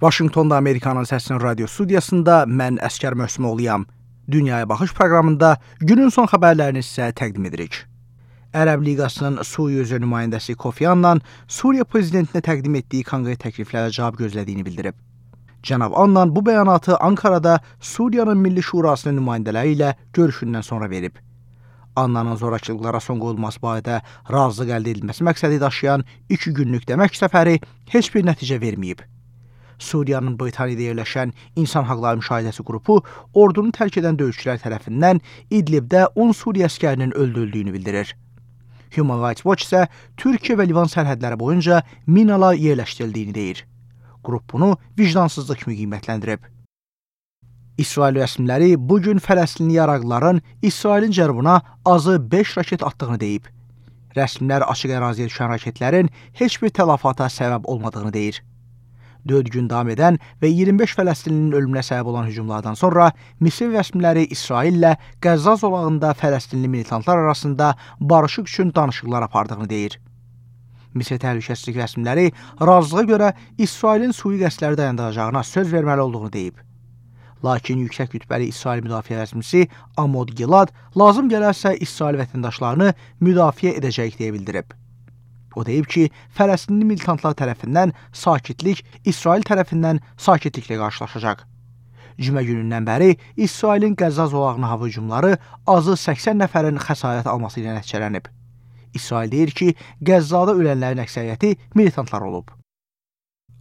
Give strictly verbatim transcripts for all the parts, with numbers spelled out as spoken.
Vaşinqtonda Amerikanın Səsinin radio studiyasında mən Əskər Möhsümoğluyam. Dünyaya Baxış proqramında günün son xəbərlərini sizə təqdim edirik. Ərəb Liqasının Suriya üzrə nümayəndəsi Kofi Annan Suriya prezidentinə təqdim etdiyi konkret təkliflərə cavab gözlədiyini bildirib. Cənab Annan bu bəyanatı Ankarada Suriyanın Milli Şurasının nümayəndələri ilə görüşündən sonra verib. Annanın zorakılıqlara son qoyulması barədə razılıq əldə edilməsi məqsədi daşıyan iki günlük dəmək səfəri heç bir nəticə verməyib. Suriyanın Britaniyada yerləşən İnsan Haqları Müşahidəsi qrupu ordunu tərk edən döyüşçülər tərəfindən İdlibdə on Suriya əskərinin öldürüldüyünü bildirir. Human Rights Watch isə Türkiyə və Livan sərhədləri boyunca minalar yerləşdirildiyini deyir. Qrup bunu vicdansızlıq kimi qiymətləndirib. İsrail rəsmiləri bugün Fələstinli yaraqlıların İsrailin cənubuna azı beş raket atdığını deyib. Rəsmilər açıq əraziyə düşən raketlərin heç bir tələfata səbəb olmadığını deyir. dörd gün davam edən və iyirmi beş Fələstinlinin ölümünə səbəb olan hücumlardan sonra Misir rəsmiləri İsraillə Qəzza zolağında Fələstinli militantlar arasında barışıq üçün danışıqlar apardığını deyir. Misir təhlükəsizlik rəsmiləri razılığa görə İsrailin sui qəsdləri dayandıracağına söz verməli olduğunu deyib. Lakin yüksək rütbəli İsrail müdafiə rəsmisi Amod Gilad lazım gələrsə İsrail vətəndaşlarını müdafiə edəcək deyə bildirib. O deyib ki, Fələstinli militantlar tərəfindən sakitlik İsrail tərəfindən sakitliklə qarşılaşacaq. Cümə günündən bəri İsrailin Qəzza zolağına hava hücumları azı səksən nəfərin xəsarət alması ilə nəticələnib. İsrail deyir ki, Qəzzada ölənlərin əksəriyyəti militantlar olub.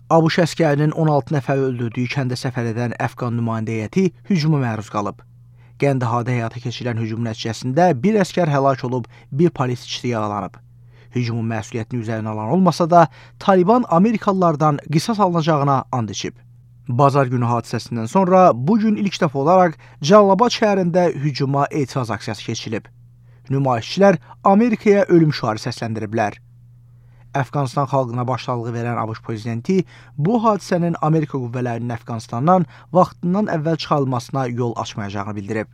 ABŞ əskərinin on altı nəfəri öldürdüyü kəndə səfər edən Əfqan nümayəndə heyəti hücuma məruz qalıb. Qəndahada həyata keçirilən hücum nəticəsində bir əskər həlak olub, bir polis işçisi yaralanıb. Hücumun məsuliyyətini üzərinə alan olmasa da, Taliban Amerikalılardan qisas alınacağına and içib. Bazar günü hadisəsindən sonra bugün ilk dəfə olaraq Cəlilabad şəhərində hücuma etiraz aksiyası keçirilib. Nümayişçilər Amerikaya ölüm şüarı səsləndiriblər. Əfqanistan xalqına başsağlığı verən ABŞ prezidenti bu hadisənin Amerika qüvvələrinin Əfqanistandan vaxtından əvvəl çıxarılmasına yol açmayacağını bildirib.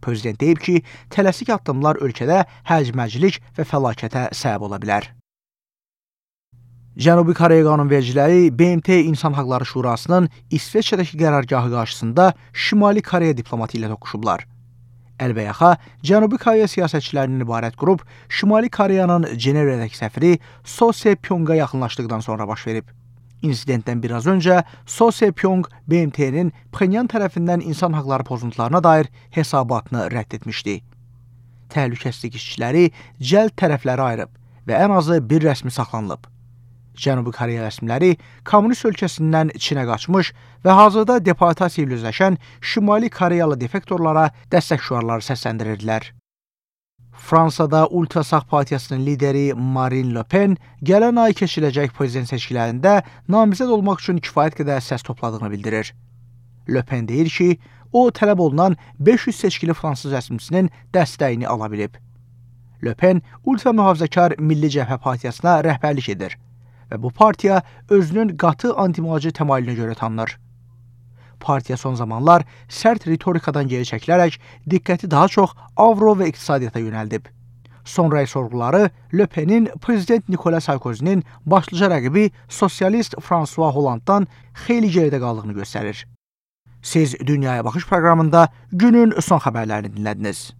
Prezident deyib ki, tələsik addımlar ölkədə hərc-mərcilik və fəlakətə səbəb ola bilər. Cənubi Koreya qanunvericiləri B M T İnsan Haqları Şurasının İsveçrədəki qərargahı qarşısında Şimali Koreya diplomatı ilə toqquşublar. Əlbəyaxa, Cənubi Koreya siyasətçilərindən ibarət qrup Şimali Koreyanın Cenevrədəki səfiri So Se-pyonga yaxınlaşdıqdan sonra baş verib. İnsidentdən biraz öncə So Se-pyong B M T'nin Pxenyan tərəfindən insan haqları pozuntularına dair hesabatını rədd etmişdi. Təhlükəsizlik işçiləri cəld tərəfləri ayırıb və ən azı bir rəsmi saxlanılıb. Cənubi Koreya rəsmiləri kommunist ölkəsindən Çinə qaçmış və hazırda deportasiya ilə üzləşən Şimali Koreyalı defektorlara dəstək şüarları səsləndirirlər. Fransada Ultrasağ Partiyasının lideri Marine Le Pen gələn ay keçiriləcək prezident seçkilərində namizəd olmaq üçün kifayət qədər səs topladığını bildirir. Le Pen deyir ki, o tələb olunan beş yüz seçkili fransız rəsmisinin dəstəyini ala bilib. Le Pen ultra mühafizəkar Milli Cəbhə Partiyasına rəhbərlik edir və bu partiya özünün qatı anti-mühacir təmayülünə görə tanınır. Partiya son zamanlar sərt ritorikadan geri çəkilərək diqqəti daha çox avro və iqtisadiyyata yönəldib. Son rəy sorğuları Le Penin prezident Nicolas Sarkozy'nin başlıca rəqibi sosialist François Hollande'dan xeyli geridə qaldığını göstərir. Siz Dünyaya Baxış proqramında günün son xəbərlərini dinlədiniz.